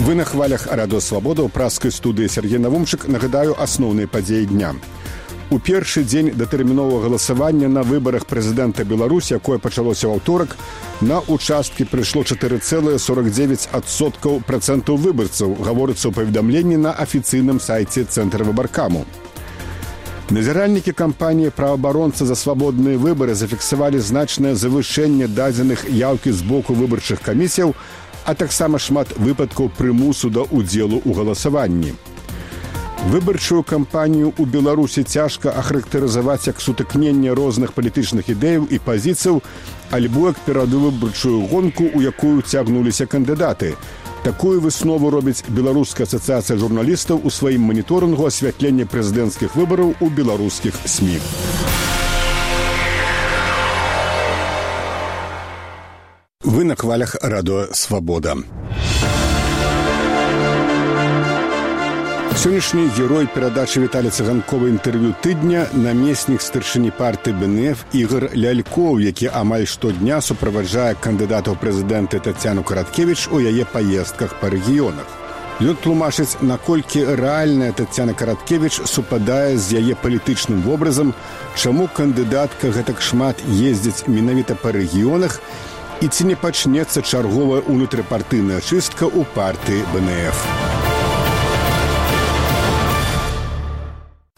Вы на хвалях Радио Свабода ў праскай студыі Сергей Навумчык. Нагадаю асноўныя падзеі дня. У першы дзень датэрміновага галасавання на выбарах прэзідэнта Беларусі, якое пачалося ў аўторак, на участкі прыйшло 4,49% выбарцаў, гаворыцца ў паведамленні на афіцыйным сайце Цэнтра выбаркаму. Назіральнікі кампаніі «Праваабаронцы за свабодныя выбары» зафіксавалі значнае завышэнне дадзеных яўкі з боку выбарчых камісіяў, а таксама шмат выпадкаў прымусу да ўдзелу ў галасаванні. Выбарчую кампанію ў Беларусі цяжка ахарактарызаваць як сутыкненне розных палітычных ідэяў і пазіцыяў, альбо як перадвыбарчую гонку, у якую цягнуліся кандыдаты. Такую выснову робіць Беларуская асацыяцыя журналістаў у сваім маніторынгу асвятлення прэзідэнцкіх выбараў у беларускіх СМІ. Вы на хвалях Радио Свобода. Сённяшні герой перадачы Віталія Цыганкова інтэрв'ю тыдня намеснік старшыні партыі БНФ Ігор Лялькоў, які амаль штодня суправаджае кандыдата ў прэзідэнты Тацяну Караткевіч у яе паездках па рэгіёнах. Ён тлумачыць, наколькі рэальная Тацяна Караткевіч супадае з яе палітычным вобразам, чаму кандыдатка гэтак шмат ездзіць менавіта па рэгіёнах, і ці не пачнецца чарговая унутрыпартыйная чыстка ў партыі БНФ.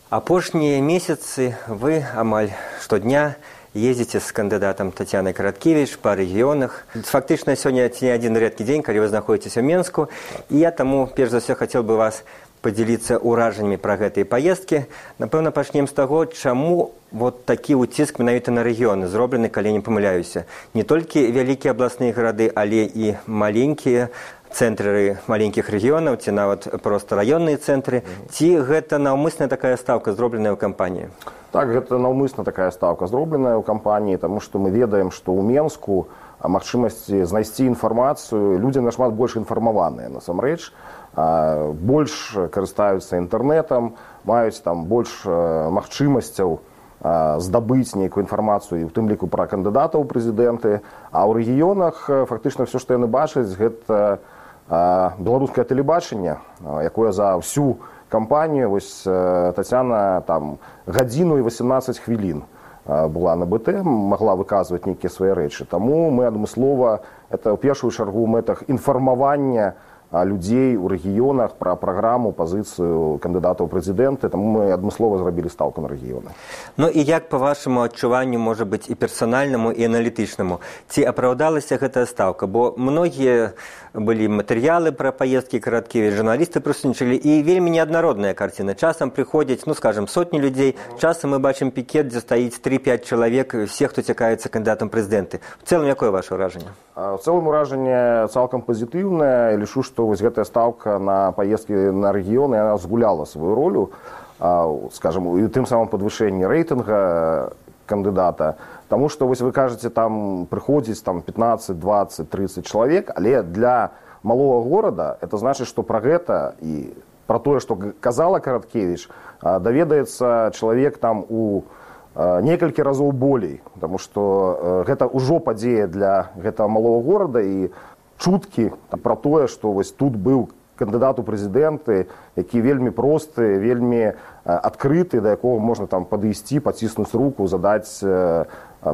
Апошнія месяцы вы амаль штодня ездзіце з кандыдатам Тацянай Караткевіч па рэгіёнах. Фактычна, сёння ці не адзін рэдкі дзень, калі вы знаходзіцеся ў Менску. І я таму, перш за ўсё, хацеў бы вас падзяліцца ўражаннямі пра гэтыя паездкі. Напэўна, пачнем з таго, чаму вот такі ўціск менавіта на рэгіёны зроблены, калі не памыляюся. Не толькі вялікія абласныя гарады, але і маленькія цэнтры маленькіх рэгіёнаў, ці нават проста раённыя цэнтры. Ці гэта наўмысная такая стаўка, зробленая ў кампаніі? Так, гэта наўмысна такая стаўка, зробленая ў кампаніі, таму што мы ведаем, што ў Менску магчымасці знайсці інфармацыю, людзі нашмат больш інфармаваныя, насамрэч, больш карыстаюцца інтэрнэтам, маюць там больш магчымасцяў здабыць нейкую інфармацыю, у тым ліку пра кандыдатаў у прэзідэнты, а ў рэгіёнах фактычна ўсё, што яны бачаць, гэта беларускае тэлебачанне, якое за ўсю кампанію, вось Тацяна там гадзіну і 18 хвілін была на БТ, магла выказваць нейкія свае рэчы. Таму мы адмыслова, это ў першую чаргу ў мэтах інфармавання людзей у рэгіёнах пра праграму, пазіцыю кандыдата ў прэзідэнты, таму мы адмыслова зрабілі стаўку на рэгіёны. Ну і як, па вашаму адчуванню, можа быць і персанальнаму, і аналітычнаму, ці апраўдалася гэтая стаўка? Бо многія былі матэрыялы пра паездкі Караткевіч, журналісты прысутнічалі, і вельмі неаднародная карціна. Часам прыходзяць, ну, скажем, сотні людзей, часам мы бачым пікет, дзе стаіць 3-5 чалавек, все, хто цікавіцца кандыдатам прэзідэнты. В цэлым, якое ваше ўражанне? В цэлым ўражанне цалкам пазітыўнае. Лічу, што вось гэтая стаўка на паездкі на рэгіёны, яна згуляла сваю ролю, скажем, і тым самым падвышэнні рэйтынга кандыдата. Таму што, вось вы кажаце, там прыходзіць там 15, 20, 30 чалавек, але для малога горада это значыць, што пра гэта і пра тое, што казала Караткевіч, даведаецца чалавек там у некалькі разоў болей, таму што гэта ўжо падзея для гэтага малога горада, і чуткі пра тое, што вось тут быў кандыдат у прэзідэнты, які вельмі просты, вельмі адкрыты, да якога можна там падысці, паціснуць руку, задаць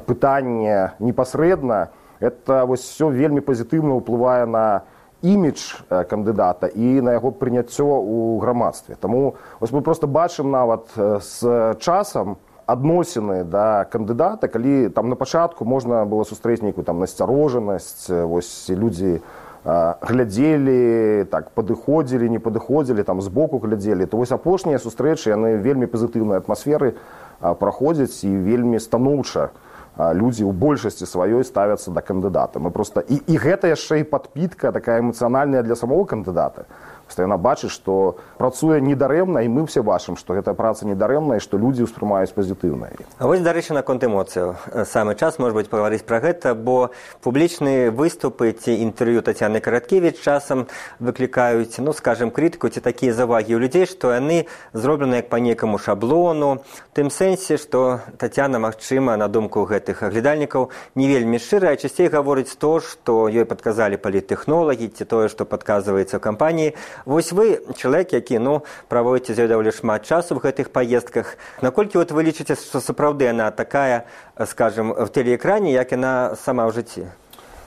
пытанне непасрэдна. Это вось все вельмі пазітыўна ўплывае на імідж кандыдата і на яго прыняццё ў грамадстве. Таму вось мы проста бачым нават з часам адносіны да кандыдата, калі там на пачатку можна было сустрэць нейкую там насцярожанасць, вось людзі глядзелі, так падыходзілі, не падыходзілі, там збоку глядзелі, то вось апошнія сустрэчы, яны вельмі пазітыўнай атмасферы праходзяць, і вельмі станоўча людзі ў большасці сваёй ставяцца да кандыдата. Мы проста і гэта яшчэ і падпітка такая эмацыянальная для самого кандыдата. што яна бачыць, што працуе недарэмна, і мы ўсе бачым, што гэта праца недарэмная, і што людзі ўспрымаюць пазітыўна. А вось, дарэчы, наконт эмоцыяў. Самы час, можа быць, пагаварыць пра гэта, бо публічныя выступы ці інтэрв'ю Тацяны Караткевіч часам выклікаюць, ну, скажем, крытыку ці такія завагі ў людзей, што яны зроблены як па некаму шаблону, в тым сэнсе, што Тацяна, магчыма, на думку гэтых аглядальнікаў, не вельмі шчыра, а часцей гаворыць то, што ёй падказалі паліттэхнолагі, ці тое, што падказваецца ў кампаніі. Вось вы, чалавек, які, ну, праводзіце з ёй даволі шмат часу в гэтых паездках. Наколькі вот вы лічыце, што сапраўды яна такая, скажем, в тэлеэкране, як яна сама ў жыцці?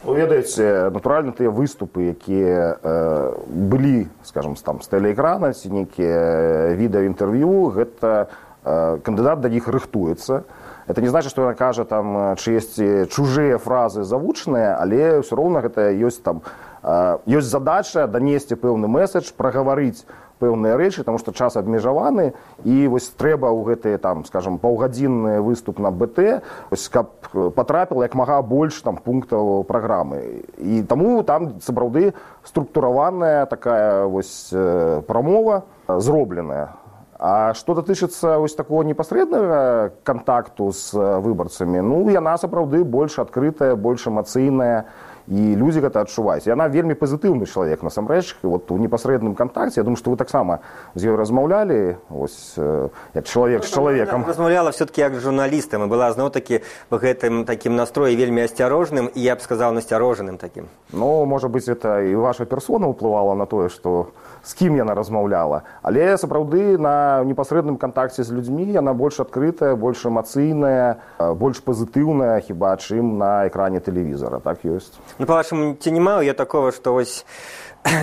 Вы ведаеце, натуральна, тыя выступы, якія былі, скажем, там, з тэлеэкрана, ці нейкія відэаінтэрв'ю, гэта кандыдат да іх рыхтуецца. Это не значит, что она кажа там чыесьці чужыя фразы завучаныя, але ўсё роўна гэта ёсць там ёсць задача данесці пэўны месседж, прагаварыць пэўныя рэчы, таму што час абмежаваны, і вось трэба ў гэты там, скажем, паўгадзінны выступ на БТ, вось каб патрапіла як мага больш там пунктаў праграмы. І таму там сапраўды структураваная такая вось прамова зробленая. А што датычыцца вось такого непасрэднага кантакту з выбарцамі, ну, яна сапраўды больш адкрытая, больш эмацыйная, і людзі гэта адчуваюць. Яна вельмі пазітыўны чалавек, насамрэч, вот у непасрэдным кантакце. Я думаю, што вы таксама з ёй размаўлялі, вось, як чалавек з чалавекам. Размаўляла все-таки як журналістам, і была зноў-такі в гэтым такім настроі вельмі асцярожным, і я б сказаў, насцярожаным такім. Ну, можа быць, это і ваша персона ўплывала на тое, што з кім яна размаўляла. Але сапраўды на непасрэдным кантакце з людзьмі яна больш адкрытая, больш эмацыйная, больш пазітыўная, хіба чым на экране тэлевізора. Так ёсць. Ну, па-вашаму, ці не маю я такого, што вось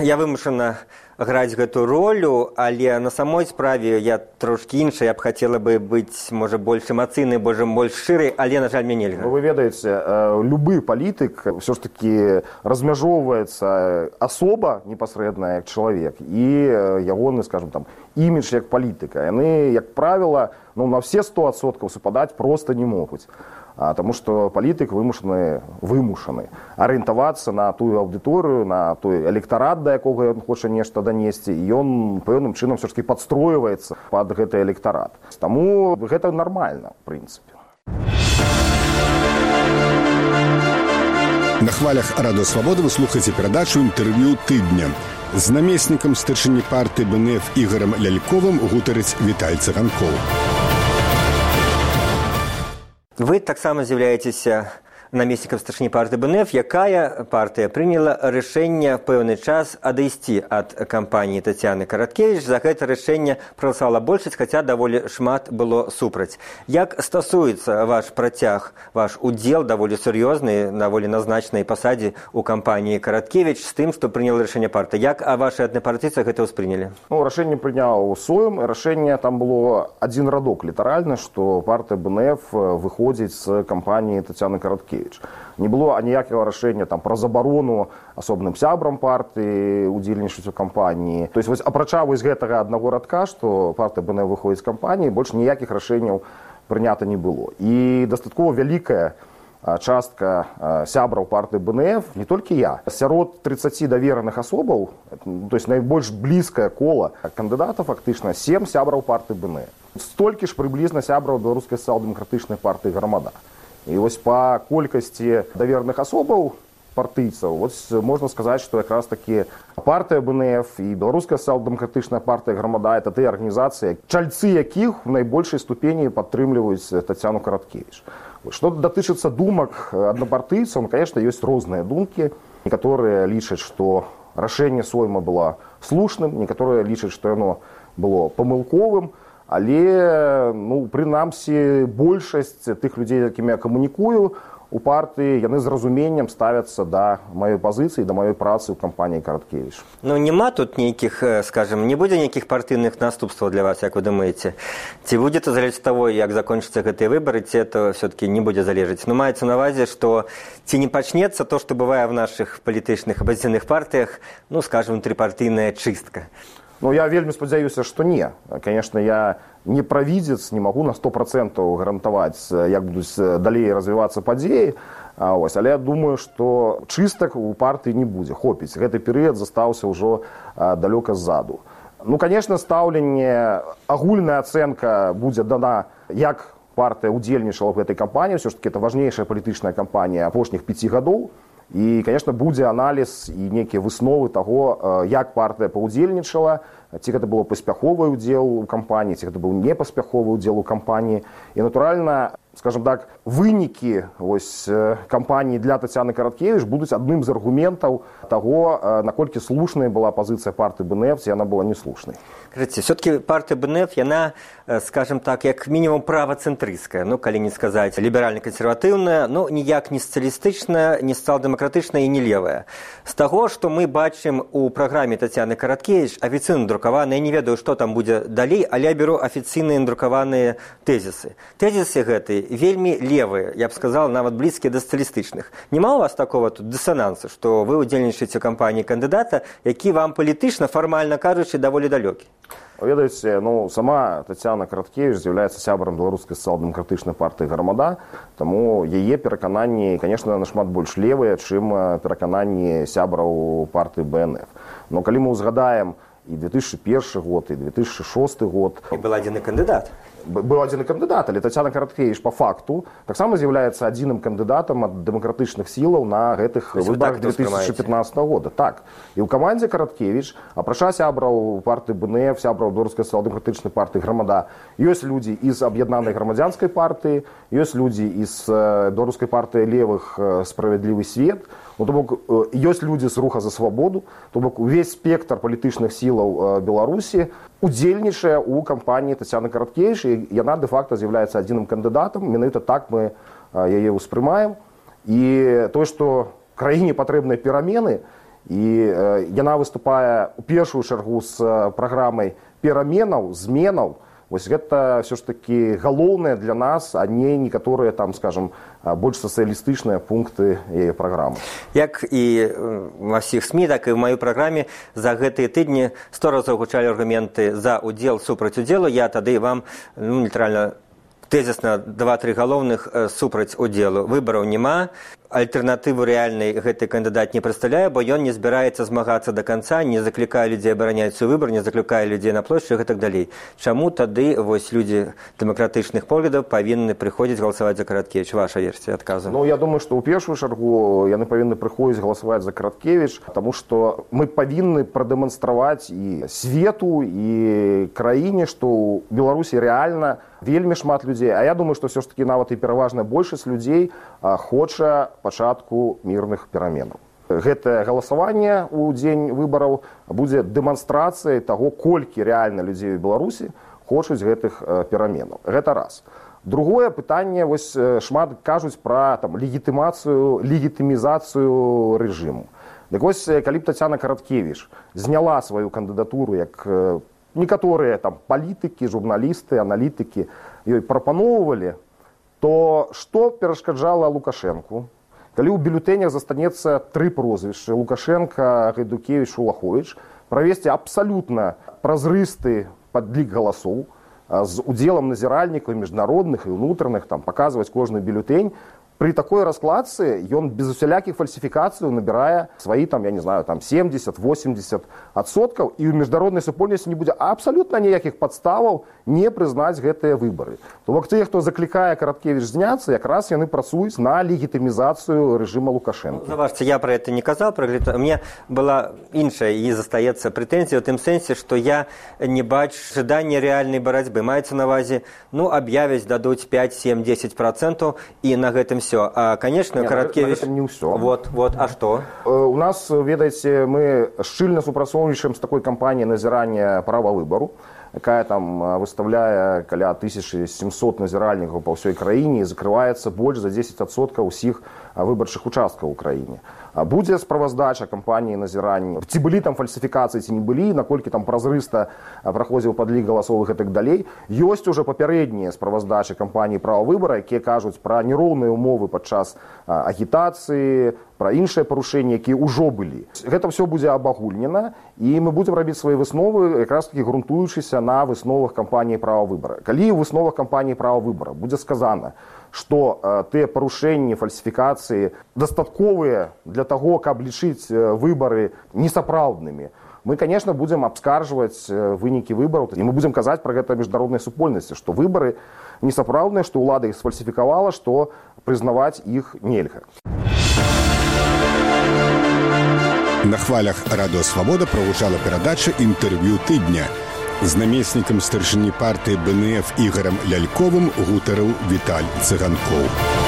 я вымушана граць гэту ролю, але на самой справе я трошкі іншая, я б хацела бы быць, можа, больш эмацыйнай, больш шырай, але, на жаль, мне нельга. Вы ведаеце, любы палітык ўсё ж такі размяжоўваецца асоба непасрэдная як чалавек і ягоны, скажем, там, імідж як палітыка. Яны, як правіла, ну, на все 100% супадаць проста не могуць. Таму што палітык вымушаны арыентавацца на тую аўдыторыю, на той электарат, да якога ён хоча нешта данесці, і ён пэўным чынам все ж таки падстройваецца пад гэты электарат. Таму гэта нармальна, в прынцыпе. На хвалях Радыё Свабода вы слухаеце перадачу інтэрв'ю тыдня. З намеснікам старшыні партыі БНФ Ігорам Ляльковым гутарыць Віталь Цыганкоў. Вы таксама з'яўляецеся намеснікам старшыні партыі БНФ, якая партыя прыняла рашэнне в пэўны час адысці ад кампаніі Тацяны Караткевіч. За гэта рашэнне прагаласавала большасць, хаця даволі шмат было супраць. Як стасуецца ваш працяг, ваш удзел даволі сур'ёзны, даволі на значнай пасадзе ў кампаніі Караткевіч з тым, што прыняла рашэнне партыя? Як вашы аднапартыйцы гэта ўспрынялі? Ну, рашэнне прыняў Сойм, і рашэнне там было адзін радок літаральна, што партыя БНФ выходзіць з кампаніі Тацяны Караткевіч. Не было аніякага рашэння там пра забарону асобным сябрам партыі удзельнічаць у кампаніі. То есть вось апрача вось гэтага аднаго радка, што партыя БНФ выходзіць з кампаніі, больш ніякіх рашэнняў прынята не было. І дастаткова вялікая частка сябраў партыі БНФ, не толькі я, сярод 30 давераных асобаў, то есть найбольш блізкае кола кандыдата фактычна 7 сябраў партыі БНФ. Столькі ж прыблізна сябраў беларускай сацыял-дэмакратычнай партыі «Грамада». І вось па колькасці давераных асобаў партыйцаў, вось можна сказаць, што якраз такі партыя БНФ і беларуская сацыял-дэмакратычная партыя «Грамада» — это тыя арганізацыі, чальцы якіх у найбольшай ступені падтрымліваюць Тацяну Караткевіч. Што датычыцца думак аднапартыйцаў, ну, конечно, ёсць розныя думкі. Некаторыя лічаць, што рашэнне Сойма было слушным, некаторыя лічаць, што яно было памылковым. Але, ну, прынамсі, большасць тых людзей, якімі я камунікую у партыі, яны з разуменнем ставяцца да маёй пазіцыі, да маёй працы ў кампаніі Караткевіч. Ну, няма тут нейкіх, скажем, не будзе нейкіх партыйных наступстваў для вас, як вы думаеце? Ці будзе это залежаць ад таго, як закончацца гэтыя выбары, ці это все-таки не будзе залежаць? Ну, маецца на ўвазе, што ці не пачнецца то, што бывае в нашых палітычных апазіцыйных партыях, ну, скажем, трипартыйная чыстка? Ну, я вельмі спадзяюся, што не. Конечно, я не правідзец, не магу на 100% гарантаваць, як будуць далей развівацца падзеі. Але я думаю, што чыстак у партыі не будзе, хопіць. Гэты перыяд застаўся ўжо далёка ззаду. Конечно, стаўленне, агульная ацэнка будзе дана, як партыя удзельнічала в гэтай кампаніі. Все ж таки это важнейшая палітычная кампанія апошніх 5 гадоў. І, конечно, будзе аналіз і нейкія высновы таго, як партыя паўдзельнічала, ці гэта было паспяховы ўдзел у кампаніі, ці гэта быў непаспяховы ўдзел у кампаніі. І, натуральна, скажем так, вынікі кампаніі для Тацяны Караткевіч будуць адным з аргументаў таго, наколькі слушная была пазіцыя партыі БНФ, ці яна была неслушнай. Скажите, все-таки партия БНФ, она, скажем так, как минимум правоцентристская, коли не сказать либерально-консервативная, но ніяк не социалистичная, не социал-демократичная и не левая. С того, что мы бачим у программе Тацяны Караткевіч, официально друкованные, я не ведаю, что там будет далей, але я беру официальные друкованные тезисы. Тезисы гэтые вельми левые, я бы сказал, нават близкие до социалистичных. Нема у вас такого тут диссонанса, что вы удзельнічаеце ў кампании кандидата, які вам политично, формально кажучи, даволі далёкі? Ведаеце, сама Тацяна Караткевіч з'яўляецца сябрам беларускай сацыял-дэмакратычнай партыі «Грамада», таму яе перакананні, конечно, нашмат больш левыя, чым перакананні сябраў партыі БНФ. Но калі мы ўзгадаем і 2001 год, і 2006 год... І был адзіны кандыдат. Был адзіны кандыдат, але Тацяна Караткевіч по факту таксама з'яўляецца адзіным кандыдатам ад дэмакратычных сілаў на гэтых выбарах 2015 года. Так. І ў камандзе Караткевіч, апрача сябраў партыі БНФ, сябраў беларускай сацыял-дэмакратычнай партыі «Грамада», ёсць людзі з аб'яднанай грамадзянскай партыі, ёсць людзі з беларускай партыі левых «Справядлівы свет», то бок ёсць людзі з руха за свабоду, то бок увесь спектр палітычных сілаў Беларусі удзельнічае ў кампаніі Тацяны Караткевіч, і яна дэ-факта з'яўляецца адзіным кандыдатам, менавіта так мы яе ўспрымаем. І тое, што краіне патрэбныя перамены, і яна выступае ў першую чаргу з праграмай пераменаў, зменаў, вось гэта все ж таки галоўнае для нас, а не некаторыя там, скажем, больш сацыялістычныя пункты яе праграмы. Як і ва ўсіх СМІ, так і ў маёй праграме за гэтыя тыдні 100 разоў гучалі аргументы за удзел, супраць удзелу. Я тады вам літаральна тезісна 2-3 галоўных супраць удзелу. Выбараў няма, альтэрнатыву рэальнай гэты кандыдат не прадстаўляе, бо ён не збіраецца змагацца да канца, не заклікае людзей абараняць свой выбар, не заклікае людзей на плошчах і так далей. Чаму тады вось людзі дэмакратычных поглядаў павінны прыходзіць галасаваць за Караткевіч? Ваша версія адказу. Я думаю, што ў першую чаргу яны павінны прыходзіць галасаваць за Караткевіч, таму што мы павінны прадэманстраваць і свету, і краіне, што ў Беларусі рэальна вельмі шмат людзей. А я думаю, што все ж таки нават і пераважная большасць людзей хоча пачатку мірных пераменаў. Гэтае галасаванне ў дзень выбараў будзе дэманстрацыяй таго, колькі рэальна людзей у Беларусі хочуць гэтых пераменаў. Гэта раз. Другое пытанне, вось шмат кажуць пра легітымізацыю рэжыму. Дык вось, калі б Тацяна Караткевіч зняла сваю кандыдатуру, як некаторыя палітыкі, журналісты, аналітыкі ёй прапаноўвалі, то што перашкаджала Лукашэнку? Калі ў бюлетэнях застанецца 3 прозвішчы – Лукашенко, Гайдукевіч, Улаховіч, правесці абсалютна празрысты падлік галасоў з удзелам назіральнікаў міжнародных і ўнутраных, паказваць кожны бюлетэнь, при такой раскладцы ён без усялякіх фальсіфікацыяў набірае сваі 70-80%, і ў міжнароднай супольнасці не будзе абсалютна ніякіх падставаў не прызнаць гэтыя выбары. То бок тыя, хто заклікае Караткевіч зняцца, якраз яны працуюць на легітымізацыю рэжыма Лукашенко. Заважце, я про это не казаў, мне была іншая і застаецца прэтэнзія ў тым сэнсе, што я не бачу жадання рэальнай барацьбы. Маецца на ўвазе, аб'явяць, дадуць 5, 7, 10%, і на гэтым все. А, конечно, Караткевич... Это не все. Вот. А что? У нас, ведаеце, мы шчыльна супрацоўнічаем з такой кампаніяй назірання права выбару, якая выставляе каля 1700 назіральнікаў па ўсёй краіне і закрываецца больш за 10% усіх выбарчых участкаў у краіне. Будзе справаздача кампаніі назірання, ці былі там фальсіфікацыі, ці не былі, наколькі там празрыста праходзіў падлік галасовых і так далей. Ёсць ужо папярэднія справаздачы кампаніі права выбара, якія кажуць пра нероўныя умовы падчас агітацыі, пра іншыя парушэнні, якія ўжо былі. Гэта ўсё будзе абагульнена, і мы будзем рабіць свае высновы, якраз такі грунтуючыся на высновах кампаніі права выбара. Калі ў высновах кампаніі права выбара будзе сказана, што тыя парушэнні, фальсіфікацыі дастатковыя для таго, каб лічыць выбары несапраўднымі, мы, конечно, будзем абскаржваць вынікі выбараў, і мы будзем казаць пра гэта міжнароднай супольнасці, што выбары несапраўдныя, што ўлада іх сфальсіфікавала, што прызнаваць іх нельга. На хвалях Радыё Свабода прагучала перадача «Інтэрв'ю тыдня». З намеснікам старшыні партыі БНФ Ігорам Ляльковым гутарыў Віталь Цыганкоў.